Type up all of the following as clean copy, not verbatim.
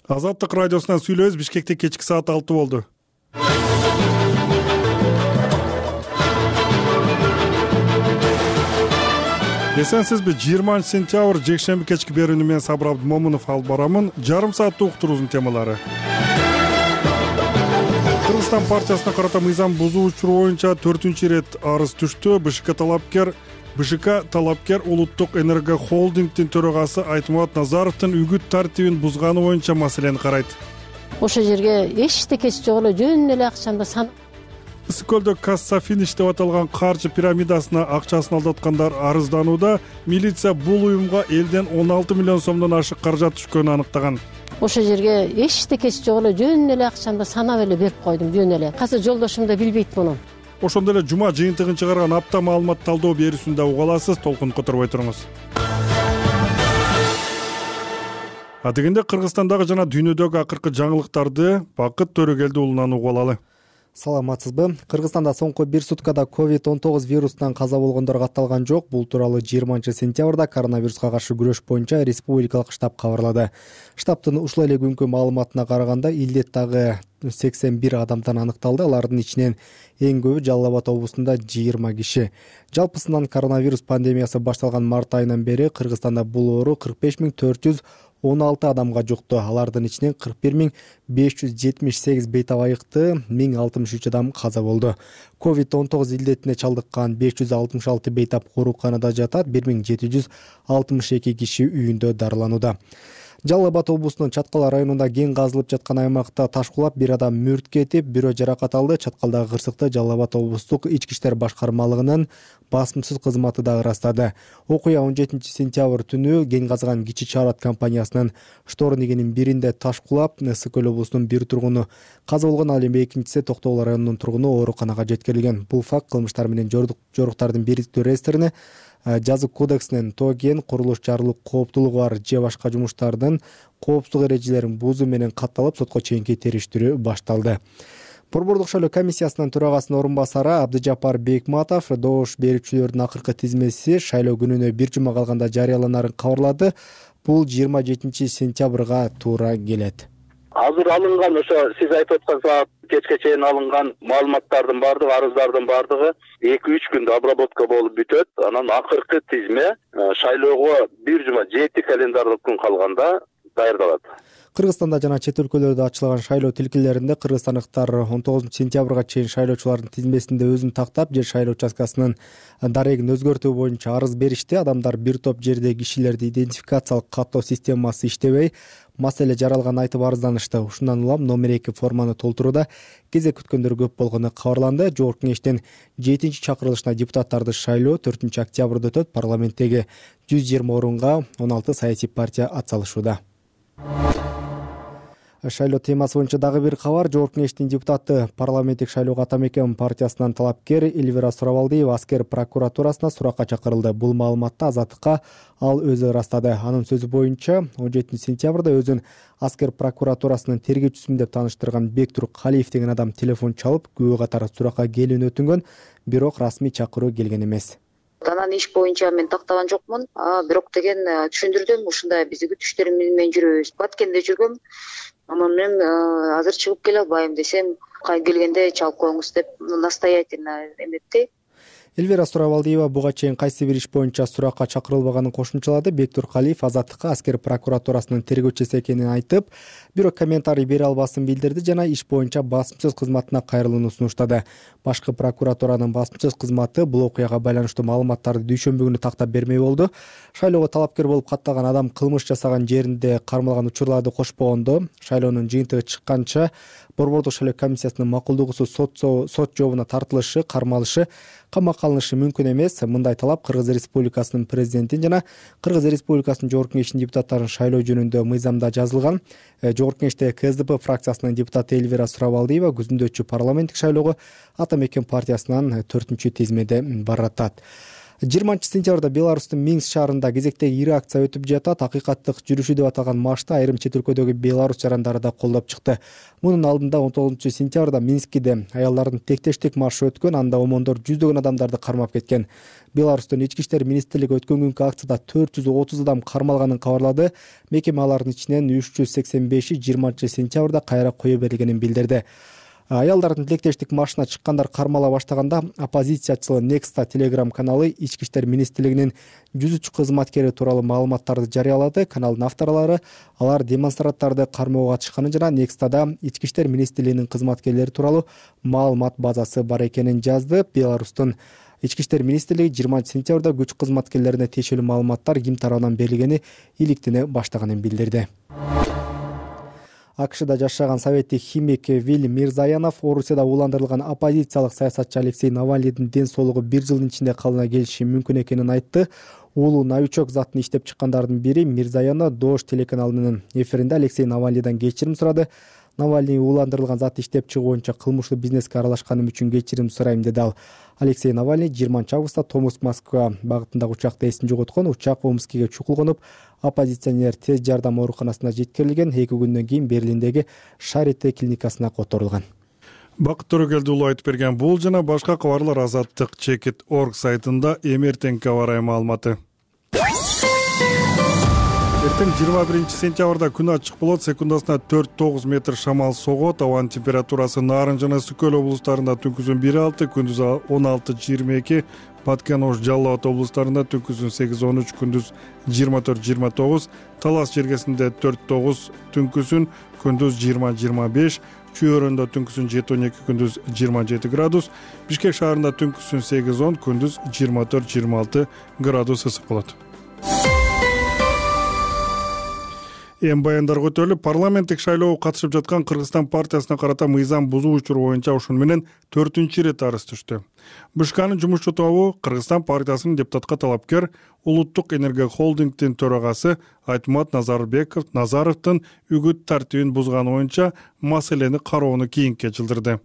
Азаттык радиосунан сүйлөбүз. Бишкекте кечки саат 6 болду. Эсенсизби? 20 сентябрь жекшемби кечки берүүнү мен Сабыр Абдымомунов алып барамын. Жарым сааттык уктуруубуздун темалары. Кыргызстан партиясына карата мыйзам бузуу учуру боюнча 4-ирет арыз түштү. БШК талапкер Улуттук энерго холдингдин төрагасы Айтмурат Назаровдун үгүт тартибин бузганы боюнча маселени карайт. Ошол жерге эчтекеси жок эле жөн эле акчаны Ысык көлдө Кассафиниш деп аталган каржы пирамидасына акчасын алдаткандар арызданууда. Милиция бул уюмга элден 16 миллион сомдон ашык каражат түшкөнүн аныктаган. Ошол жерге эчтекеси жок эле жөн эле акчаны санап эле берип койдум, жөн эле. Азыр жолдошум да билбейт муну. Ошондой эле жума жыйынтыгын чыгарган апта маалымат талдоо берүүсүндө уга аласыз. Толкун которбой туруңуз. Дегенде Кыргызстандагы жана дүйнөдөгү акыркы жаңылыктарды Бакыт Төрөгелди уулунан угуп алалы. Саламатсызбы? Кыргызстанда соңку 1 суткада COVID-19 вирусунан каза болгондор катталган жок. Бул тууралуу 20 сентябрда коронавируска каршы күрөш боюнча республикалык штаб кабарлады. Штабтын ушул эле күнкү маалыматына караганда илдет дагы 81 адамдан аныкталды. Алардын ичинен эң көбү Жалал Абад облусунда 20 киши. Жалпысынан коронавирус пандемиясы башталган март айынан бери Кыргызстанда бул оору 45.416 адамга жукту. Алардын ичинен 41.578 бейтап айыкты, 1063 адам каза болду. COVID-19 илдетине чалдыккан 566 бейтап ооруканада жатат, 1762 киши үйүндө дарыланууда. Жалал Абад облусунун Чаткал районунда кен казылып жаткан аймакта таш кулап бир адам мүрт кетип, бирөө жаракат алды. Чаткалдагы кырсыкты Жалал Абад облустук ички иштер башкармалыгынын басымсыз кызматы да ырастады. Окуя 17 сентябрь түнү кен казган Кичи Чарат компаниясынын штор негенин биринде таш кулап, Ысык көл облусунун бир тургуну каза болгон, ал эми экинчиси Токтогул районунун тургуну ооруканага жеткирилген. Бул факт кылмыштар менен жоруктардын бириктүү реестрине, жазык кодексинен тоо кен, курулуш жарылуу кооптулугу бар же башка жумуштардын коопсуздук эрежелерин бузуу менен катталып, сотко чейинки териштирүү башталды. Борбордук шайлоо комиссиясынын төрагасынын орун басары Абдыжапар Бекматов добуш берүүчүлөрдүн акыркы тизмеси шайлоо күнүнө бир жума калганда жарыяланарын кабарлады. Бул 27 сентябрга туура келет. Азыр алынган, ошо сиз айтып аткан саат кечке чейин алынган маалыматтардын баардыгы, арыздардын баардыгы 2-3 күндө обработка болуп бүтөт. Анан акыркы тизме шайлоого бир жума 7 календардык күн калганда даярдалат. Кыргызстанда жана чет өлкөлөрдө ачылган шайлоо тилкелеринде кыргызстандыктар 19 сентябрга чейин шайлоочулардын тизмесинде өзүн тактап, жер шайлоо участкасынын дарегин өзгөртүү боюнча арыз беришти. Адамдар бир топ жердеги кишилерди идентификациялык каттоо системасы иштебей, маселе жаралганын айтып арызданышты. Ушундан улам номер 2 форманы толтурууда кезек күткөндөр көп болгону кабарланды. Жогорку кеңештин 7-чакырылышына депутаттарды шайлоо 4 октябрда өтөт. Парламенттеги 120 орунга 16 саясий партия атсалышууда. Шайлоо темасы боюнча дагы бир кабар. Жогорку кеңештин депутаты парламенттик шайлоого Ата Мекен партиясынан талапкер Эльвира Сурабалдиева аскер прокуратурасына суракка чакырылды. Бул маалыматты Азаттыкка ал өзү ырастады. Анын сөзү боюнча 17 сентябрда өзүн аскер прокуратурасынын тергөөчүсүмүн деп тааныштырган Бектур Калиев деген адам телефон чалып, күбө катары суракка келүүнү өтүнгөн, бирок расмий чакыруу келген эмес. Анан иш боюнча мен тактаган жокмун, бирок деген түшүндүрдүм, ушундай биздин күтүштөр менен жүрөбүз. Баткенде жүргөм. Анан мен азыр чыгып келе албайм десем, келгенде чалып коюңуз деп настоятельно эметти. Эльвира Сурабалдиева буга чейин кайсы бир иш боюнча суракка чакырылбаганын кошумчалады. Бектур Калиев Азаттыкка аскер прокуратурасынын тергөөчүсү экенин айтып, бирок комментарий бере албасын билдирди жана иш боюнча басымсыз кызматына кайрылууну сунуштады. Башкы прокуратуранын басымсыз кызматы бул окуяга байланыштуу маалыматтарды дүйшөмбү күнү тактап бермей болду. Шайлоого талапкер болуп катталган адам кылмыш жасаган жеринде кармалган учурларды кошпогондо, шайлоонун жыйынтыгы чыкканча Борбордук шайлоо комиссиясынын макулдугусуз сот жообуна тартылышы, кармалышы, камакка алынышы мүмкүн эмес. Мындай талап Кыргыз Республикасынын президентин жана Кыргыз Республикасынын Жогорку кеңешинин депутаттарын шайлоо жөнүндө мыйзамда жазылган. Жогорку кеңеште КСДП фракциясынын депутаты Эльвира Сурабалдиева күзүндө парламенттик шайлоого Ата Мекен партиясынан 4-тизмеде баратат. 20-сентябрда Беларустун Минск шаарында кезектеги ири акция өтүп жатат. Акыйкаттык жүрүшү деп аталган маршты айрым чет өлкөдөгү Беларусь жарандары да колдоп чыкты. Мунун алдында 19-сентябрда Минскиде аялдардын тектештик маршы өткөн, анда омондор жүздөгөн адамдарды кармап кеткен. Беларустун ички иштер министрлиги өткөн күнкү акцияда 430 адам кармалганын кабарлады. Мекеме алардын ичинен 385-и 20-сентябрда кайра кое берилгенин билдирди. Аялдардын тилектештик маршына чыккандар кармала баштаганда оппозициячыл Некста телеграм каналы ички иштер министрлигинин 103 кызматкери тууралуу маалыматтарды жарыялады. Каналдын авторлору алар демонстранттарды кармоого катышканын жана Некстада ички иштер министрлигинин кызматкерлери тууралуу маалымат базасы бар экенин жазды. Беларустун ички иштер министрлиги 20-сентябрда күч кызматкерлерине тиешелүү маалыматтар ким тарабынан берилгени иликтене баштаганын билдирди. АКШда жашаган советтик химик Виль Мирзаянов Орусияда ууландырылган оппозициялык саясатчы Алексей Навальныйдын ден соолугу 1 жылдын ичинде калыбына келиши мүмкүн экенин айтты. Уулу новичок затын иштеп чыккандардын бири Мирзаянов Дождь телеканалынын эфиринде Алексей Навальныйдан кечирим сурады. Навальный ууландырылган зат иштеп чыгуу боюнча кылмыштуу бизнеске аралашканым үчүн кечирим сурайм деди ал. Алексей Навальный 20-августта Томск-Москва багытындагы учакта эсин жоготкон. Учак Омскиге чукул конуп, оппозиционер тез жардам ооруканасына жеткирилген. 2 күндөн кийин Берлиндеги Шарите клиникасына которулган. Бакыт Төрөгелдиулу айтып берген бул жана башка кабарлар Азаттык Чекит.org сайтында эмертеңки аба ырайы маалыматы. Эртең 21-сентябрда күн ачык болот, секундасына 4-9 метр шамал согот. Абанын температурасы Нарын жана Сүкөл облустарында түнкүсүн 1-6, күндүз 16-22, Баткен, Ош, Жалал Абад облустарында түнкүсүн 8-13, күндүз 24-29, Талас жергесинде 4-9, түнкүсүн күндүз 20-25, Чүй-өрөндө түнкүсүн 7-12, күндүз 27 градус, Бишкек шаарында түнкүсүн 8-10, күндүз 24-26 градус ысык болот. Эми баяндарга өтөлүп, парламенттик шайлоого катышып жаткан Кыргызстан партиясына карата мыйзам бузуу учуру боюнча ушуну менен 4-рет арыз түштү. БШКнын жумушчу тобу Кыргызстан партиясынын депутатка талапкер Улуттук энергия холдингдин төрагасы Айтмат Назаровдун үгүт тартибин бузганы боюнча маселени кароону кийинке жылдырды.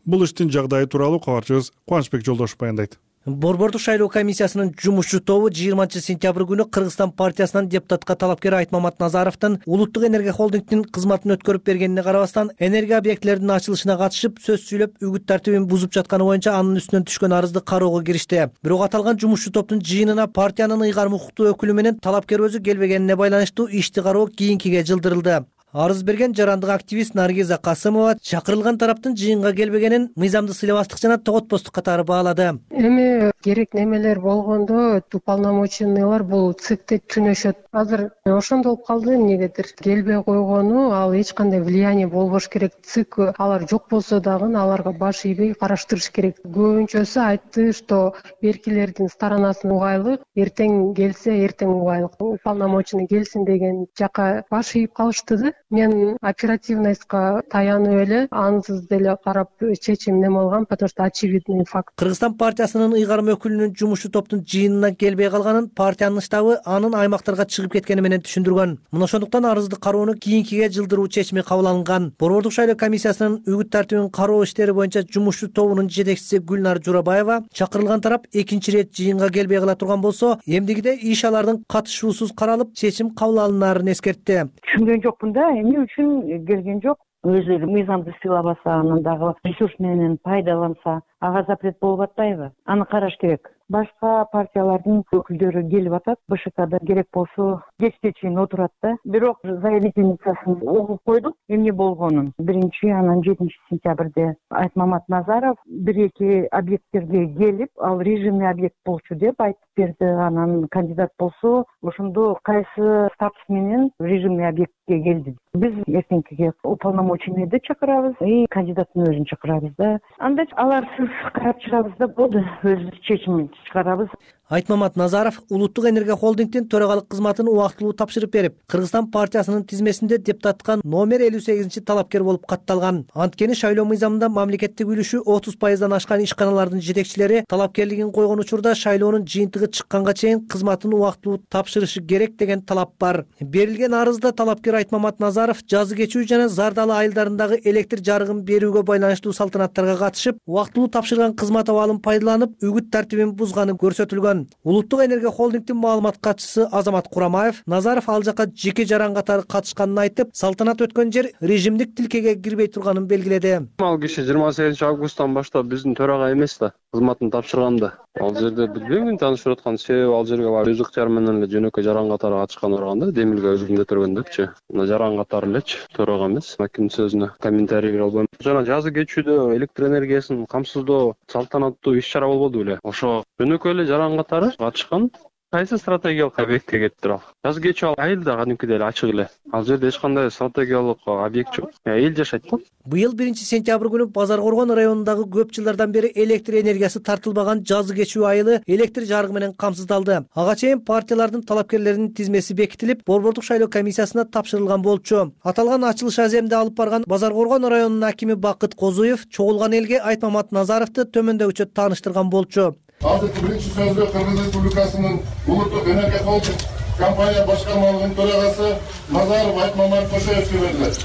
Бул иштин жагдайы тууралуу кабарчыбыз Кубанычбек Жолдошов баяндайт. Борбордук шайлоо комиссиясынын жумушчу тобу 20-сентябрь күнү Кыргызстан партиясынан депутатка талапкер Айтмамат Назаровдун Улуттук энергия холдингдин кызматын өткөрүп бергенине карабастан энергия объектилеринин ачылышына катышып сөз сүйлөп үгүт тартибин бузуп жатканы боюнча анын үстүнөн түшкөн арызды кароого киришти. Бирок аталган жумушчу топтун жыйынына партиянын ыйгарым укуктуу өкүлү менен талапкер өзү келбегенине байланыштуу ишти кароо кийинкиге жылдырылды. Арыз берген жарандык активист Наргиза Касымова чакырылган тараптын жыйынга келбегенин мыйзамды сыйлабастык жана тоготпостук катары баалады. Эми керек немелер болгондо уполномоченныйлар бул ЦИКте түнөшөт. Азыр ошондо болуп калды, эмнегедир келбей койгону, ал эч кандай влияние болбош керек. ЦИК алар жок болсо дагы аларга баш ийбей караштырыш керек. Көбүнчөсү айтты, что беркилердин сторонасы угайлык, эртең келсе эртең угайлык. Уполномоченный келсин деген жака баш ийип калышты да. Мен оперативностька таянып эле ансыз деле карап чечим неме алгам, потому что очевидный факт. Кыргызстан партиясынын ыйгарым өкүлүнүн жумушчу топтун жыйынына келбей калганын партиянын штабы анын аймактарга чыгып кеткени менен түшүндүргөн. Мына ошондуктан арызды кароону кийинкиге жылдыруу чечими кабыл алынган. Борбордук шайлоо комиссиясынын үгүт тартибин кароо иштери боюнча жумушчу тобунун жетекчиси Гүлнар Журабаева чакырылган тарап 2-рет жыйынга келбей кала турган болсо, эмдигиде иш алардын катышуусуз каралып, чечим кабыл алынаарын эскертти. Түшүнгөн жокмун да, эмне үчүн келген жок. Өзү мыйзамды сыйлабаса, анан дагы ресурс менен пайдаланса, ага запрет болуп атпайбы? Аны караш керек. Башка партиялардын өкүлдөрү келип атат, БШКда керек болсо кечке чейин отурат да. Бирок заявительницасын угуп койдук, эмне болгонун. Биринчи, анан 7-сентябрде Айтмамат Назаров 1-2 объекттерге келип, ал режимный объект болчу деп айтып берди. Анан кандидат болсо, ошондо кайсы статус менен режимный объектке келди. Биз эртеңкиге уполномоченныйды чакырабыз и кандидаттын өзүн чакырабыз да. Анда аларсыз карап чыгабыз да болду, өз чечимин чыгарабыз. Айтмамат Назаров Улуттук энергия холдингдин төрагалык кызматын убактылуу тапшырып берип, Кыргызстан партиясынын тизмесинде депутатка номер 58 талапкер болуп катталган. Анткени шайлоо мыйзамында мамлекеттик үлүшү 30%дан ашкан ишканалардын жетекчилери талапкерлигин койгон учурда шайлоонун жыйынтыгы чыкканга чейин кызматын убактылуу тапшырышы керек деген талап бар. Берилген арызда талапкер Айтмамат Назаров жазы кечүү жана Зардалы айылдарындагы электр жарыгын берүүгө байланыштуу салтанаттарга катышып, убактылуу тапшырган кызмат абалын пайдаланып, үгүт тартибин бузганы көрсөтүлгөн. айткан. Улуттук энергия холдингдин маалымат катчысы Азамат Курамаев Назаров ал жака жеке жаран катары катышканын айтып, салтанат өткөн жер режимдик тилкеге кирбей турганын белгиледи. Ал киши 28 августтан баштап биздин төрага эмес да, кызматын тапшырганда. Ал жерде билбейм, таанышып аткан себеби ал жерге барып өз ыктыяры менен эле жөнөкөй жаран катары катышкан барганда, демилге өзүмдө төргөндөгчү. Мына жаран катары элечи, төрага эмес. Кимдин сөзүнө комментарий бере албайм. Жана жазы кечүүдө электр энергиясын камсыздоо салтанаттуу иш-чара болбоду беле? Ошо жөнөкөй эле жаран катары катышкан. Кайсы стратегиялык объектке кеттир ал? Жазы кечүү ал айыл да кадимкидей эле ачык эле. Ал жерде эч кандай стратегиялык объект жок. Эл жашайт го. Быйыл 1-сентябрь күнү Базар Коргон районундагы көп жылдардан бери электр энергиясы тартылбаган жазы кечүү айылы электр жарыгы менен камсыздалды. Ага чейин партиялардын талапкерлеринин тизмеси бекитилип, Борбордук шайлоо комиссиясына тапшырылган болчу. Аталган ачылыш аземди алып барган Базар Коргон районунун акими Бакыт Козуев чогулган элге Айтмамат Назаровду төмөндөгүчө тааныштырган болчу. Азыркы биринчи сөздө Кыргыз Республикасынын улуттук энергия холдинг компания башкармалыгынын төрагасы Назаров Айтмамат Кошоевге берилет.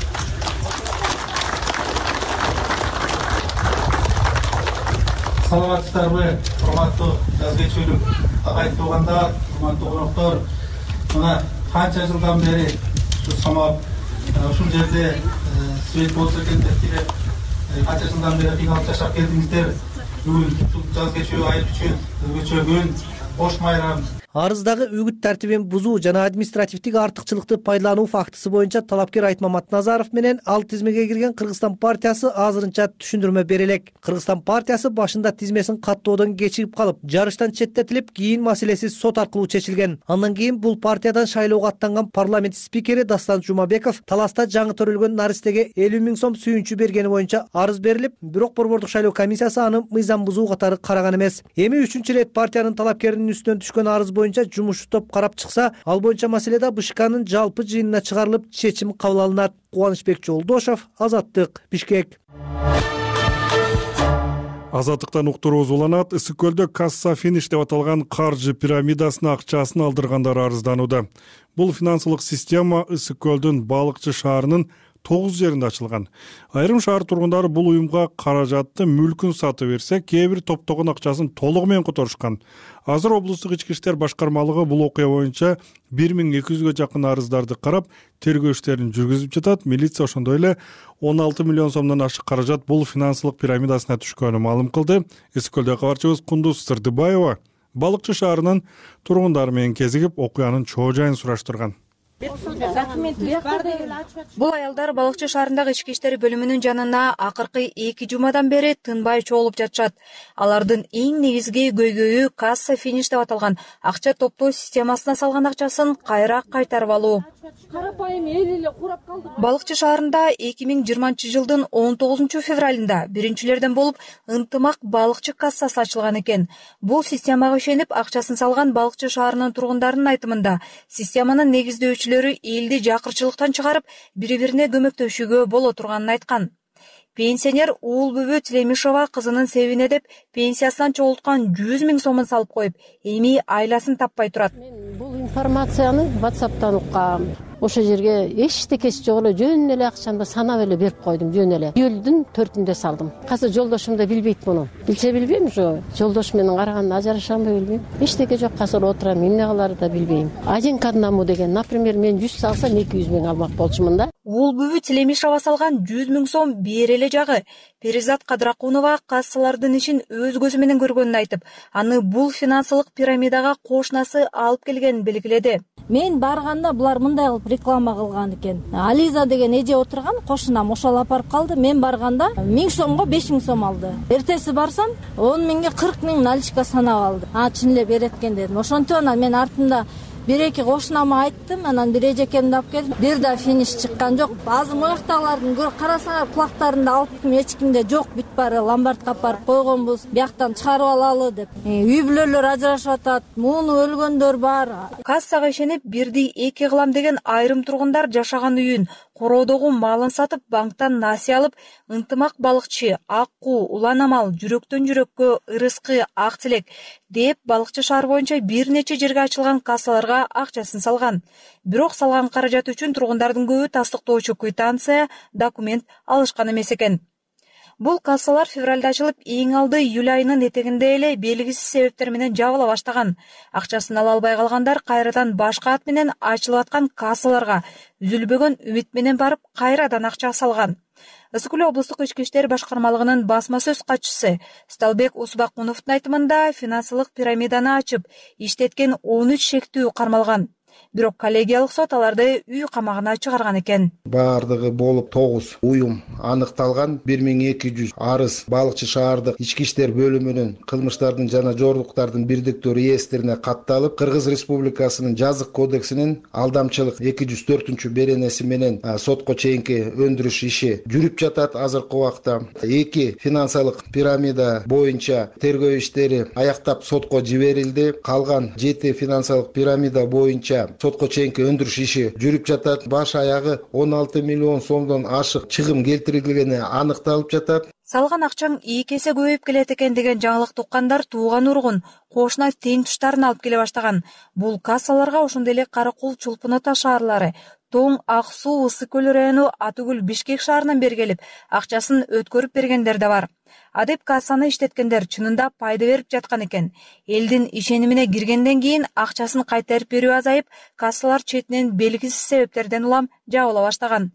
Саламатсыздарбы, урматтуу жаз кечүүлүк агайын туугандар, урматтуу коноктор. Мына канча жылдан бери ушу самап ушул жерде свет болсо экен деп канча жылдан бери кыйналып жашап келдиңиздер. Бүгүн жаз кечүү айыл үчүн өзгөчө күн, бош майрам. Арыздагы үгүт тартибин бузуу жана административдик артыкчылыкты пайдалануу фактысы боюнча талапкер Айтмамат Назаров менен ал тизмеге кирген Кыргызстан партиясы азырынча түшүндүрмө бере элек. Кыргызстан партиясы башында тизмесин каттоодон кечигип калып, жарыштан четтетилип, кийин маселеси сот аркылуу чечилген. Андан кийин бул партиядан шайлоого аттанган парламент спикери Дастан Жумабеков таласта жаңы төрөлгөн наристеге 50 000 сом сүйүнчү бергени боюнча арыз берилип, бирок Борбордук шайлоо комиссиясы аны мыйзам бузуу катары караган эмес. Эми 3-чү ирет партиянын талапкеринин үстүнөн түшкөн арыз боюнча жумушчу топ карап чыкса, ал боюнча маселеде БШКнын жалпы жыйынына чыгарылып, чечим кабыл алынат. Кубанычбек Жолдошов, Азаттык, Бишкек. Азаттыктан уктурубуз уланат. Ысык көлдө касса финиш деп аталган каржы пирамидасына акчасын алдыргандар арызданууда. Бул финансылык система Ысык көлдүн Балыкчы шаарынын 9 жеринде ачылган. Айрым шаар тургундары бул уюмга каражатты мүлкүн сатып берсе, кээ бир топтогон акчасын толугу менен которушкан. Азыр облустук ички иштер башкармалыгы бул окуя боюнча 1200-гө жакын арыздарды карап, тергөө иштерин жүргүзүп жатат. Милиция ошондой эле 16 миллион сомдон ашык каражат бул финансылык пирамидасына түшкөнүн маалым кылды. Ысык көлдө кабарчыбыз Кундуз Сырдыбаева Балыкчы шаарынын тургундары менен кезигип, окуянын чоо жайын сураштырган. Бул аялдар Балыкчы шаарындагы ички иштер бөлүмүнүн жанына акыркы 2 жумадан бери тынбай чогулуп жатышат. Алардын эң негизги көйгөйү касса финиш деп аталган акча топтоо системасына салган акчасын кайра кайтарып алуу. Карапайым эл эле курап калды. Балыкчы шаарында 2020 жылдын 19 февралында биринчилерден болуп ынтымак балыкчы кассасы ачылган экен. Бул системага ишенип акчасын салган Балыкчы шаарынын тургундарынын айтымында системанын негиздөөчүлөрү элди жакырчылыктан чыгарып, бири-бирине көмөктөшүүгө боло турганын айткан. Пенсионер Уулбүбү Тилемишова кызынын себине деп пенсиясынан чогулткан 100 000 сомун салып коюп, эми айласын таппай турат. Мен бул информацияны WhatsApp'тан уккам. Ошо жерге эчтекеси жок эле жөн эле акчамды санап эле берип койдум, жөн эле. Июлдун 4-ндө салдым. Азыр жолдошум да билбейт муну. Билсе билбейм, ошо жолдош менен караганда ажырашамбы билбейм. Эчтеке жок, азыр отурам, эмне кыларын да билбейм. Один к одному деген, например, мен 100 салсам 200 000 алмак болчумун да. Уулбүбү Тилемишова салган 100 000 сом береле жагы. Перизат Кадракунова кассалардын ишин өз көзү менен көргөнүн айтып, аны бул финансылык пирамидага кошунасы алып келгенин белгиледи. Мен барганда булар мындай кылып реклама кылган экен. Ализа деген эже отурган, кошунам ошол апарып калды. Мен барганда 1000 сомго 5000 сом алды. Эртеси барсам 10 000ге 40 000 наличка санап алды. Чын эле берет экен дедим. Ошонтип анан мен артында бир-эки кошунама айттым, анан бир эжекемди алып келдим. Бир да финиш чыккан жок. Азыр мояктагылардын карасаңар кулактарында алып эч кимде жок, бүт баары ломбардка апарып койгонбуз. Бияктан чыгарып алалы деп. Үй бүлөлөр ажырашып атат, муну өлгөндөр бар. Кассага ишенип бирди эки кылам деген айрым тургундар жашаган үйүн, короодогу малын сатып, банктан насыя алып, ынтымак балыкчы, акку, улан амал, жүрөктөн жүрөккө, ырыскы, ак тилек деп Балыкчы шаар боюнча бир нече жерге ачылган кассаларга акчасын салган. Бирок салган каражат үчүн тургундардын көбү тастыктоочу квитанция, документ алышкан эмес экен. Бул кассалар февралда ачылып, эң алды июль айынын этегинде эле белгисиз себептер менен жабыла баштаган. Акчасын ала албай калгандар кайрадан башка ат менен ачылып аткан кассаларга үзүлбөгөн үмүт менен барып кайрадан акча салган. Ысык Көл облустук ички иштер башкармалыгынын басма сөз катчысы Сталбек Усубакуновдун айтымында финансылык пирамиданы ачып, иштеткен 13 шектүү кармалган. Бирок коллегиялык сот аларды үй камагына чыгарган экен. Бардыгы болуп 9 уюм аныкталган. 1200 арыз Балыкчы шаардык ички иштер бөлүмүнүн кылмыштардын жана жоруктардын бирдиктүү реестрине катталып, Кыргыз Республикасынын жазык кодексинин алдамчылык 204 беренеси менен сотко чейинки өндүрүш иши жүрүп жатат. Азыркы убакта 2 финансылык пирамида боюнча тергөө иштери аяктап сотко жиберилди. Калган 7 финансылык пирамида боюнча сотко чейинки өндүрүш иши жүрүп жатат. Баш аягы 16 миллион сомдон ашык чыгым келтирилгени аныкталып жатат. Салган акчаң 2 эсе көбөйүп келет экен деген жаңылык туккандар тууган ургун, кошуна тең туштарын алып келе баштаган. Бул кассаларга ошондой эле Каракул, Чулпун Ата шаарлары, Тоң, Ак Суу, Ысык Көл району, Атыгүл, Бишкек шаарынан бери келип, акчасын өткөрүп бергендер да бар. Адеп кассаны иштеткендер чынында пайда берип жаткан экен. Элдин ишенимине киргенден кийин акчасын кайтарып берүү азайып, кассалар четинен белгисиз себептерден улам жабыла баштаган.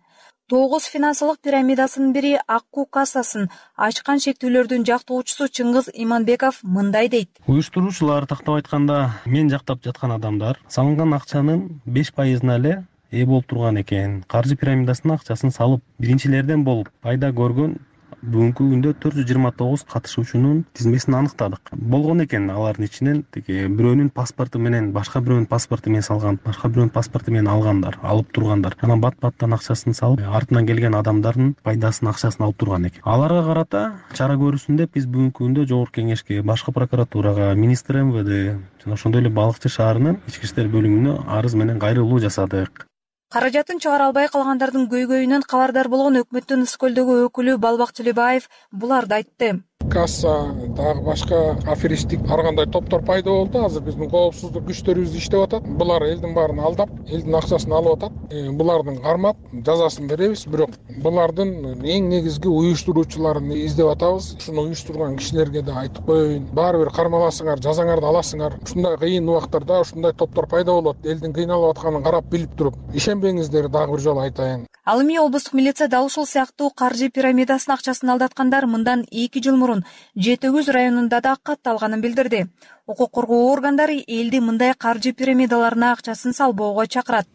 9 финансылык пирамидасынын бири Акку кассасын ачкан шектүүлөрдүн жактоочусу Чыңгыз Иманбеков мындай дейт. Уюштуруучулар тактап айтканда, мен жактап жаткан адамдар салынган акчанын 5%-на эле ээ болуп турган экен. Каржы пирамидасынын акчасын салып, биринчилерден болуп пайда көргөн бүгүнкү күндө 429 катышуучунун тизмесин аныктадык. Болгон экен алардын ичинен бирөөнүн паспорту менен, башка бирөөнүн паспорту менен салган, башка бирөөнүн паспорту менен алгандар, алып тургандар. Анан бат-баттан акчасын салып, артынан келген адамдардын пайдасын, акчасын алып турган экен. Аларга карата чара көрүлсүн деп биз бүгүнкү күндө Жогорку Кеңешке, башкы прокуратурага, министр МВД жана ошондой эле Балыкчы шаарынын ички иштер бөлүмүнө арыз менен кайрылуу жасадык. Каражатын чыгара албай калгандардын көйгөйүнөн кабардар болгон өкмөттүн Ысык Көлдөгү өкүлү Балбак Төлөбаев буларды айтты. Касса дагы башка аферисттик ар кандай топтор пайда болду. Азыр биздин коопсуздук күчтөрүбүз иштеп атат. Булар элдин баарын алдап, элдин акчасын алып атат. Булардын кармап жазасын беребиз, бирок булардын эң негизги уюштуруучуларын издеп атабыз. Ушуну уюштурган кишилерге да айтып коеюн. Баары бир кармаласыңар, жазаңарды аласыңар. Ушундай кыйын убактарда ушундай топтор пайда болот. Элдин кыйналып атканын карап билип туруп, ишенбеңиздер, дагы бир жолу айтайын. Ал эми облустук милиция дал ушул сыяктуу каржы пирамидасынын акчасын алдаткандар мындан 2 жыл мурун Жети Өгүз районунда да катталганын билдирди. Укук коргоо органдары элди мындай каржы пирамидаларына акчасын салбоого чакырат.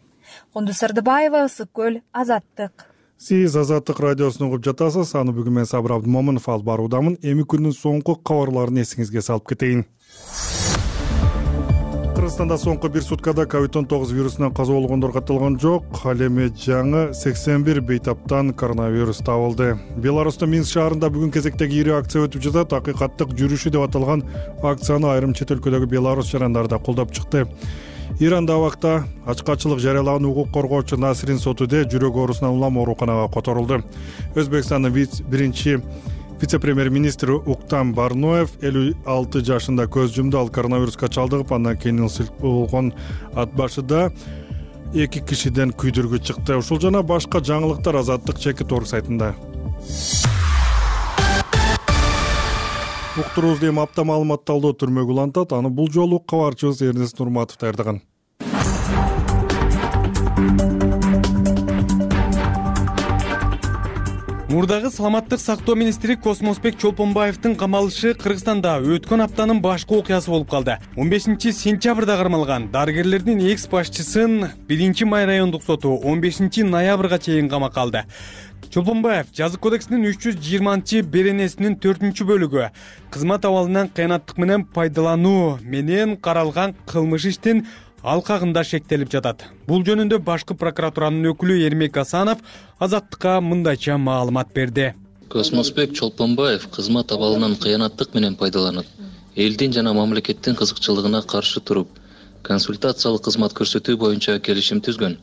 Кундуз Сырдыбаева, Ысык Көл, Азаттык. Сиз Азаттык радиосун угуп жатасыз. Аны бүгүн мен Сабыр Абдымомунов алып баруудамын. Эми күндүн соңку кабарларын эсиңизге салып кетейин. Кыргызстанда соңку бир суткада COVID-19 вирусунан каза болгондор катталган жок. Ал эми жаңы 81 бейтаптан коронавирус табылды. Беларустун Минск шаарында бүгүн кезектеги ири акция өтүп жатат. Акыйкаттык жүрүшү деп аталган акцияны айрым чет өлкөдөгү беларус жарандары да колдоп чыкты. Иранда абакта ачкачылык жарыялаган укук коргоочу Насрин Сотуде жүрөк оорусунан улам ооруканага которулду. Өзбекстандын биринчи вице-премьер-министри Уктам Барноев 56 жашында көз жумду. Ал коронавируска чалдыгып, андан кийин ысык болгон ат башыда 2 кишиден күйдүргү чыкты. Ушул жана башка жаңылыктар Азаттык чекит орг сайтында. Уктуруубузду эми апта маалыматталдоо түрмөгү улантат. Аны бул жолу кабарчыбыз Эрнест Нурматов даярдаган. Мурдагы саламаттык сактоо министри Космосбек Чолпонбаевдин камалышы Кыргызстанда өткөн аптанын башкы окуясы болуп калды. 15 сентябрда кармалган дарыгерлердин экс башчысын 1 май райондук соту 15 ноябрга чейин камакка алды. Чолпонбаев жазык кодексинин 320 беренесинин 4-бөлүгү кызмат абалынан кыянаттык менен пайдалануу менен каралган кылмыш иштин алкагында шектелип жатат. Бул жөнүндө башкы прокуратуранын өкүлү Эрмек Асанов Азаттыкка мындайча маалымат берди. Космосбек Чолпонбаев кызмат абалынан кыянаттык менен пайдаланып, элдин жана мамлекеттин кызыкчылыгына каршы туруп, консультациялык кызмат көрсөтүү боюнча келишим түзгөн.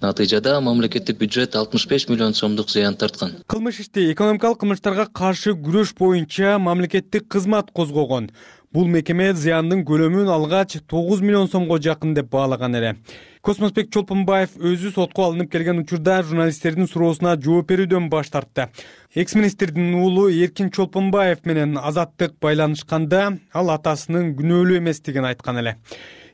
Натыйжада мамлекеттик бюджет 65 миллион сомдук зыян тарткан. Кылмыш ишти экономикалык кылмыштарга каршы күрөш боюнча мамлекеттик кызмат козгогон. Бул мекеме зыяндын көлөмүн алгач 9 миллион сомго жакын деп баалаган эле. Космосбек Чолпонбаев өзү сотко алынып келген учурда журналисттердин суроосуна жооп берүүдөн баш тартты. Экс-министрдин уулу Эркин Чолпонбаев менен Азаттык байланышканда ал атасынын күнөөлүү эместигин айткан эле.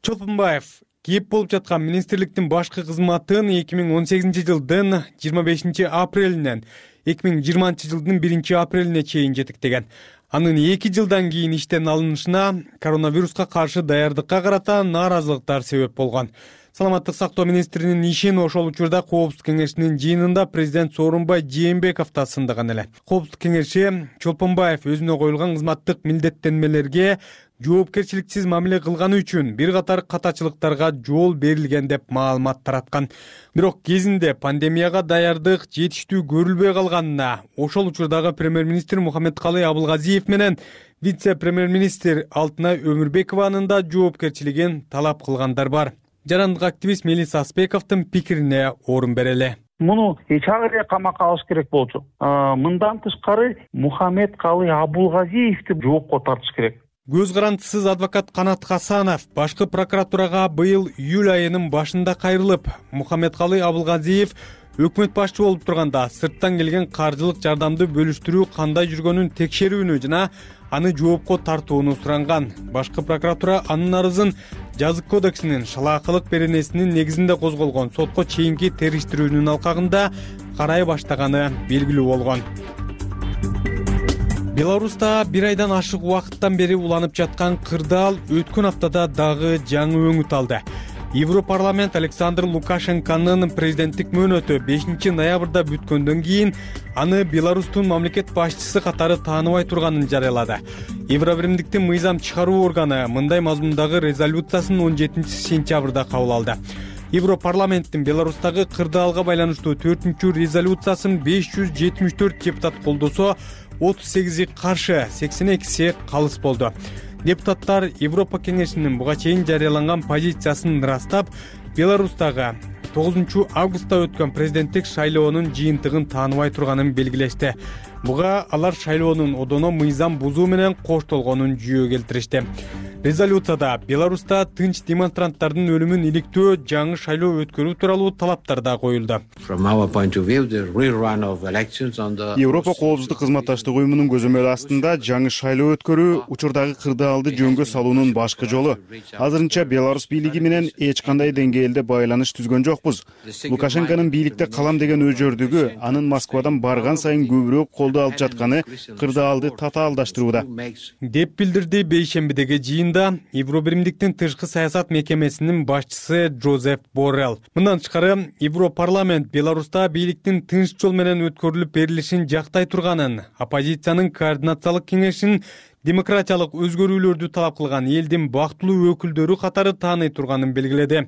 Чолпонбаев кеп болуп жаткан министрликтин башкы кызматын 2018 жылдын 25 апрелинен 2020 жылдын 1 апрелине чейин жетектеген. Анын 2 жылдан кийин иштен алынышына коронавируска каршы даярдыкка карата нааразылыктар себеп болгон. Саламаттык сактоо министринин ишин ошол учурда Коопсуздук кеңешинин жыйынында президент Сооронбай Жээнбеков да сындаган эле. Коопсуздук кеңеши Чолпонбаев өзүнө коюлган кызматтык милдеттенмелерге жоопкерчиликсиз мамиле кылганы үчүн бир катар катачылыктарга жол берилген деп маалымат тараткан. Бирок кезинде пандемияга даярдык жетиштүү көрүлбөй калганына ошол учурдагы премьер-министр Мухаммедкалый Абылгазиев менен вице-премьер-министр Алтынай Өмүрбекованын да жоопкерчилигин талап кылгандар бар. Жарандык активист Мелис Аспековдун пикирине орун берели. Муну чак эле камакка алыш керек болчу. Мындан тышкары Мухаммедкалый Абылгазиевди жоопко тартыш керек. Көз карандысыз адвокат Канат Хасанов башкы прокуратурага быйыл июль айынын башында кайрылып, Мухаммедкалый Абылгазиев өкмөт башчы болуп турганда сырттан келген каржылык жардамды бөлүштүрүү кандай жүргөнүн текшерүүнү жана аны жоопко тартууну суранган. Башкы прокуратура анын арызын Жазык кодексинин шалаакылык беренесинин негизинде козголгон сотко чейинки териштирүүнүн алкагында карай баштаганы белгилүү болгон. Беларуста бир айдан ашык убакыттан бери уланып жаткан кырдаал өткөн аптада дагы жаңы өңүт алды. Европарламент Александр Лукашенконун президенттик мөөнөтү 5 ноябрда бүткөндөн кийин аны Беларустун мамлекет башчысы катары тааныбай турганын жарыялады. Евробиримдиктин мыйзам чыгаруу органы мындай мазмундагы резолюциясын 17 сентябрда кабыл алды. Европарламенттин Беларустагы кырдаалга байланыштуу 4-чү резолюциясын 574 депутат колдосо, 38 каршы, 82 калыс болду. Депутаттар Европа кеңешинин буга чейин жарыяланган позициясын ырастап, Беларустагы 9 августта өткөн президенттик шайлоонун жыйынтыгын тааныбай турганын белгилешти. Буга алар шайлоонун одоно мыйзам бузуу менен коштолгонун жүйө келтиришти. Резолюцияда Беларуста тынч демонстранттардын өлүмүн иликтөө, жаңы шайлоо өткөрүү тууралуу талаптар да коюлду. Европа коопсуздук кызматташтык уюмунун көзөмөлү астында жаңы шайлоо өткөрүү учурдагы кырдаалды жөнгө салуунун башкы жолу. Азырынча Беларусь бийлиги менен эч кандай деңгээлде байланыш түзгөн жокпуз. Лукашенконун бийликте калам деген өжөрдүгү анын Москвадан барган сайын көбүрөөк колдоо алып жатканы кырдаалды татаалдаштырууда, деп билдирди бейшембидеги жыйында Евробиримдиктин тышкы саясат мекемесинин башчысы Джозеф Боррелл. Мындан тышкары Европарламент Беларуста бийликтин тынч жол менен өткөрүлүп берилишин жактай турганын, оппозициянын координациялык кеңешин демократиялык өзгөрүүлөрдү талап кылган элдин бактылуу өкүлдөрү катары тааный турганын белгиледи.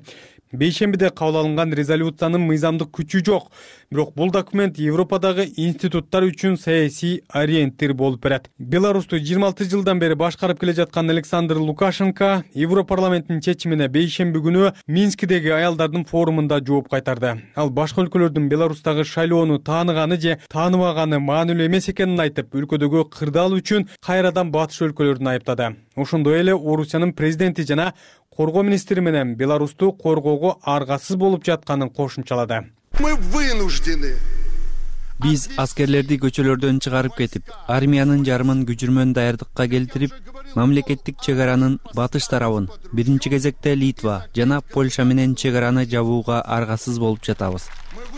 Бейшембиде кабыл алынган резолюциянын мыйзамдык күчү жок, бирок бул документ Европадагы институттар үчүн саясий ориентир болуп берет. Беларусту 26 жылдан бери башкарып келе жаткан Александр Лукашенко Европарламенттин чечимине бейшемби күнү Минскидеги аялдардын форумунда жооп кайтарды. Ал башка өлкөлөрдүн Беларустагы шайлоону тааныганы же тааныбаганы маанилүү эмес экенин айтып, өлкөдөгү кырдаал үчүн кайрадан батыш өлкөлөрдүн айыптады. Ошондой эле Орусиянын президенти жана коргоо министри менен Беларусту коргоого аргасыз болуп жатканын кошумчалады. Мы вынуждены. Биз аскерлерди көчөлөрдөн чыгарып кетип, армиянын жарымын күчүрмөн даярдыкка келтирип, мамлекеттик чек аранын батыш тарабын, биринчи кезекте Литва жана Польша менен чек араны жабууга аргасыз болуп жатабыз.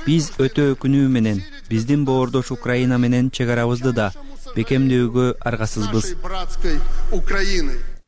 Биз өтө өкүнүү менен биздин боордош Украина менен чек арабызды да бекемдөөгө аргасызбыз.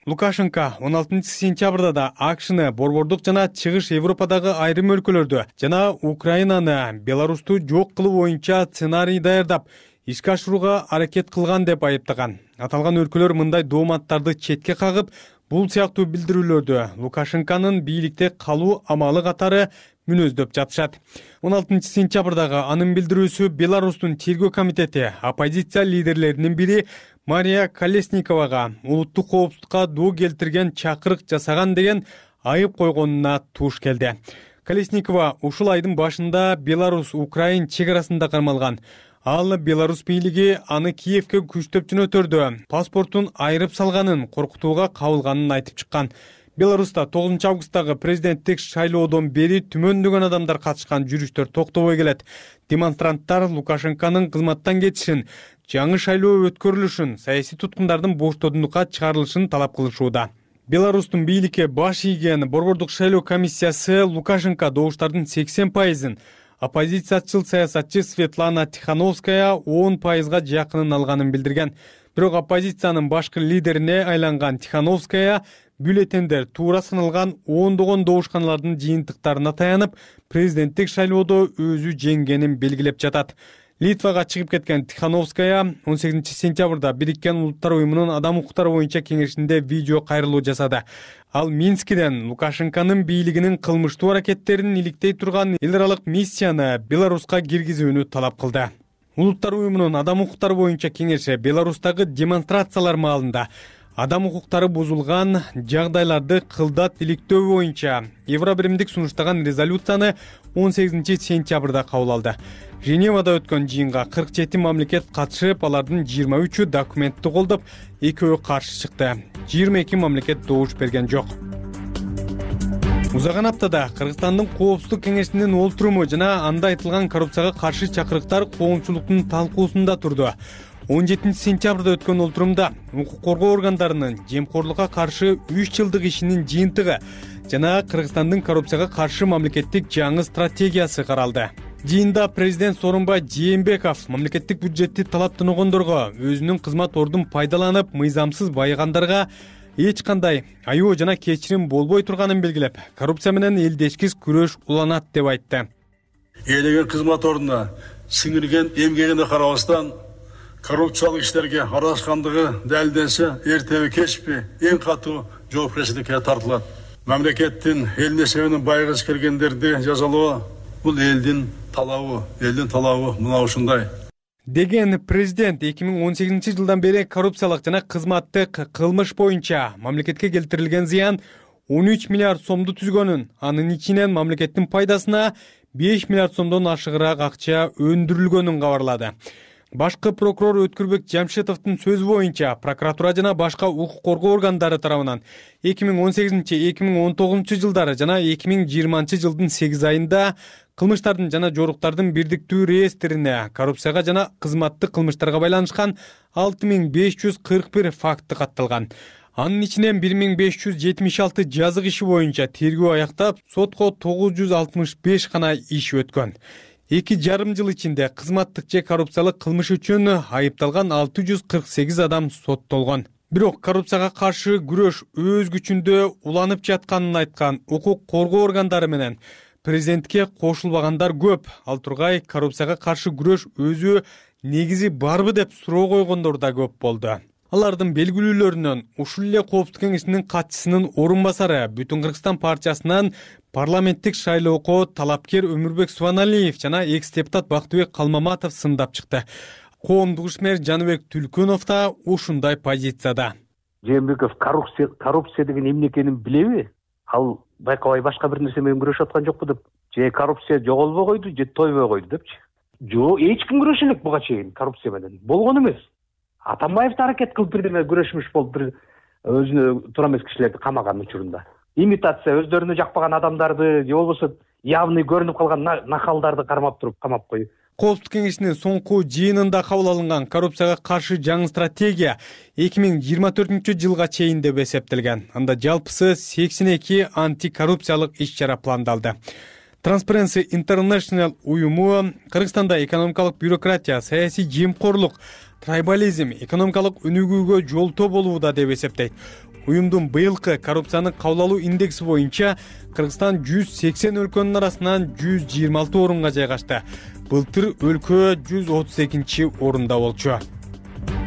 Лукашенко 16 сентябрда да АКШны, борбордук жана чыгыш Европадагы айрым өлкөлөрдү жана Украинаны Беларусту жок кылуу боюнча сценарий даярдап, ишке ашырууга аракет кылган деп айыптаган. Аталган өлкөлөр мындай дооматтарды четке кагып, бул сыяктуу билдирүүлөрдү Лукашенконун бийликте калуу амалы катары мүнөздөп жатышат. 16 сентябрдагы анын билдирүүсү Беларустун тергөө комитети оппозиция лидерлеринин бири Мария Колесниковага улуттук коопсуздукка доо келтирген чакырык жасаган деген айып койгонуна туш келди. Колесникова ушул айдын башында Беларусь-Украин чек арасында кармалган Ал Беларусь бийлиги аны Киевке күчтөп жөнөтөрдө паспортун айрып салганын, коркутууга кабылганын айтып чыккан. Беларуста 9 августтагы президенттик шайлоодон бери түмөндөгөн адамдар катышкан жүрүштөр токтобой келет. Демонстранттар Лукашенконун кызматтан кетишин, жаңы шайлоо өткөрүлүшүн, саясий туткундардын боштоодунлукка чыгарылышын талап кылышууда. Беларустун бийликке баш ийген Борбордук шайлоо комиссиясы Лукашенко добуштардын 80%-ын, оппозициячыл саясатчы Светлана Тихановская 10%-га жакынын алганын билдирген. Бирок оппозициянын башкы лидерине айланган Тихановская бюллетендер туура саналган ондогон добушканалардын жыйынтыктарына таянып, президенттик шайлоодо өзү жеңгенин белгилеп жатат. Литвага чыгып кеткен Тихановская 18 сентябрда Бириккен Улуттар уюмунун адам укуктары боюнча кеңешинде видео кайрылуу жасады. Ал Минскиден Лукашенконун бийлигинин кылмыштуу аракеттерин иликтей турган эл аралык миссияны Беларуска киргизүүнү талап кылды. Улуттар уюмунун адам укуктары боюнча кеңеши Беларустагы демонстрациялар маалында адам укуктары бузулган жагдайларды кылдат иликтөө боюнча Евробиримдик сунуштаган резолюцияны 18 сентябрда кабыл алды. Женевада өткөн жыйынга 47 мамлекет катышып, алардын 23-ü документти колдоп, 2-өө каршы чыкты. 22 мамлекет добуш берген жок. Узаган аптада Кыргызстандын Коопсуздук кеңешинин олтуруму жана анда айтылган коррупцияга каршы чакырыктар коомчулуктун талкуусунда турду. 17 сентябрда өткөн олтурумда укук коргоо органдарынын жемкорлукка каршы 3 жылдык ишинин жыйынтыгы жана Кыргызстандын коррупцияга каршы мамлекеттик жаңы стратегиясы каралды. Жыйында президент Сооронбай Жээнбеков мамлекеттик бюджетти талаптаногондорго өзүнүн кызмат ордун пайдаланып, мыйзамсыз байыгандарга эч кандай айоо жана кечирим болбой турганын белгилеп, коррупция менен элдешкис күрөш уланат деп айтты. Ээлеген кызмат ордуна сиңирген эмгегине карабастан коррупциялык иштерге аралашкандыгы далилденсе, эртеби кечпи эң катуу жоопкерчиликке тартылат. Мамлекеттин эл несебинен байгысы келгендерди жазалоо бул элдин талабы мына ушундай. Деген президент 2018 жылдан бери коррупциялык жана кызматтык кылмыш боюнча мамлекетке келтирилген зыян 13 миллиард сомду түзгөнүн, анын ичинен мамлекеттин пайдасына 5 миллиард сомдон ашыгыраак акча өндүрүлгөнүн кабарлады. Башкы прокурор Өткүрбек Жамшитовдун сөзү боюнча, прокуратура жана башка укук коргоо органдары тарабынан 2018-2019 жылдары жана 2020 жылдын 8 айында кылмыштардын жана жоруктардын бирдиктүү реестрине коррупцияга жана кызматтык кылмыштарга байланышкан 6541 факты катталган. Анын ичинен 1576 жазык иши боюнча тергөө аяктап, сотко 965 гана иш өткөн. 2,5 жыл ичинде кызматтык же коррупциялык кылмыш үчүн айыпталган 648 адам соттолгон. Бирок коррупцияга каршы күрөш өз күчүндө уланып жатканын айткан укук коргоо органдары менен президентке кошулбагандар көп. Ал тургай коррупцияга каршы күрөш өзү негизи барбы деп суроо койгондор да көп болду. Алардын белгилүүлөрүнөн ушул эле Коопсуздук кеңешинин катчысынын орун басары Бүтүн Кыргызстан партиясынан парламенттик шайлоого талапкер Өмүрбек Субаналиев жана экс-депутат Бактыбек Калмаматов сындап чыкты. Коомдук ишмер Жаныбек Түлкөнов да ушундай позицияда. Жээнбеков коррупция деген эмне экенин билеби? Ал байкабай башка бир нерсе менен күрөшүп аткан жокпу деп. Же коррупция жоголбой койду, же тойбой койду депчи. Жок, эч ким күрөшө элек буга чейин коррупция менен. Болгон эмес. Атамбаев да аракет кылып бирдеме күрөшмүш болуп, бир өзүнө туура эмес кишилерди камаган учурунда. Имитация өздөрүнө жакпаган адамдарды, же болбосо явный көрүнүп калган нахалдарды кармап туруп камап коюп. Коопсуздук кеңешинин соңку жыйынында кабыл алынган коррупцияга каршы жаңы стратегия 2024 жылга чейин деп эсептелген. Анда жалпысы 82 антикоррупциялык иш-чара пландалды. Transparency International уюму Кыргызстанда экономикалык бюрократия, саясий жемкорлук, трайбализм, экономикалык өнүгүүгө жолтоо болууда деп эсептейт. Уюмдун быйылкы коррупцияны кабыл алуу индекси боюнча Кыргызстан 180 өлкөнүн арасынан 126 орунга жайгашты. Былтыр өлкө 132 орунда болчу.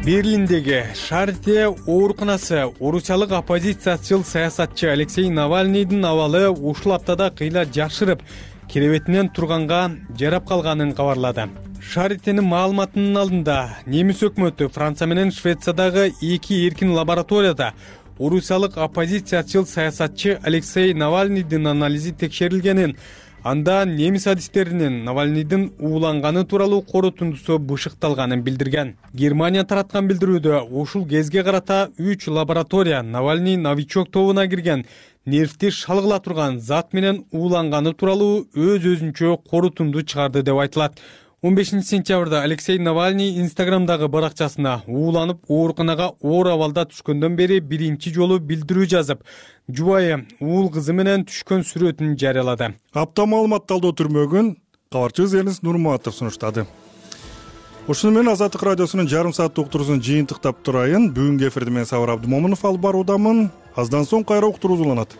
Берлиндеги Шарите ооруканасы орусиялык оппозициячыл саясатчы Алексей Навальныйдын абалы ушул аптада кыйла жакшырып, керебетинен турганга жарап калганын кабарлады. Шаритенин маалыматынын алдында немис өкмөтү Франция менен Швециядагы 2 эркин лабораторияда орусиялык оппозициячыл саясатчы Алексей Навальныйдын анализи текшерилгенин, Анда немис адистеринин Навальныйдын ууланганы тууралуу корутундусу бышыкталганын билдирген. Германия тараткан билдирүүдө ушул кезге карата 3 лаборатория Навальный новичок тобуна кирген нервти шалгыла турган зат менен ууланганы тууралуу өз-өзүнчө корутунду чыгарды деп айтылат. 15 сентябрда Алексей Навальный Инстаграмдагы баракчасына ууланып ооруканага оор абалда түшкөндөн бери биринчи жолу билдирүү жазып, жубайы уул кызы менен түшкөн сүрөтүн жарыялады. Апта маалыматталдоо түрмөгүн кабарчыбыз Эрнис Нурматов сунуштады. Ушуну менен Азаттык радиосунун жарым сааттык уктуруусун жыйынтыктап турайын. Бүгүнкү эфирди мен Сабыр Абдымомунов алып баруудамын. Аздан соң кайра уктуруу уланат.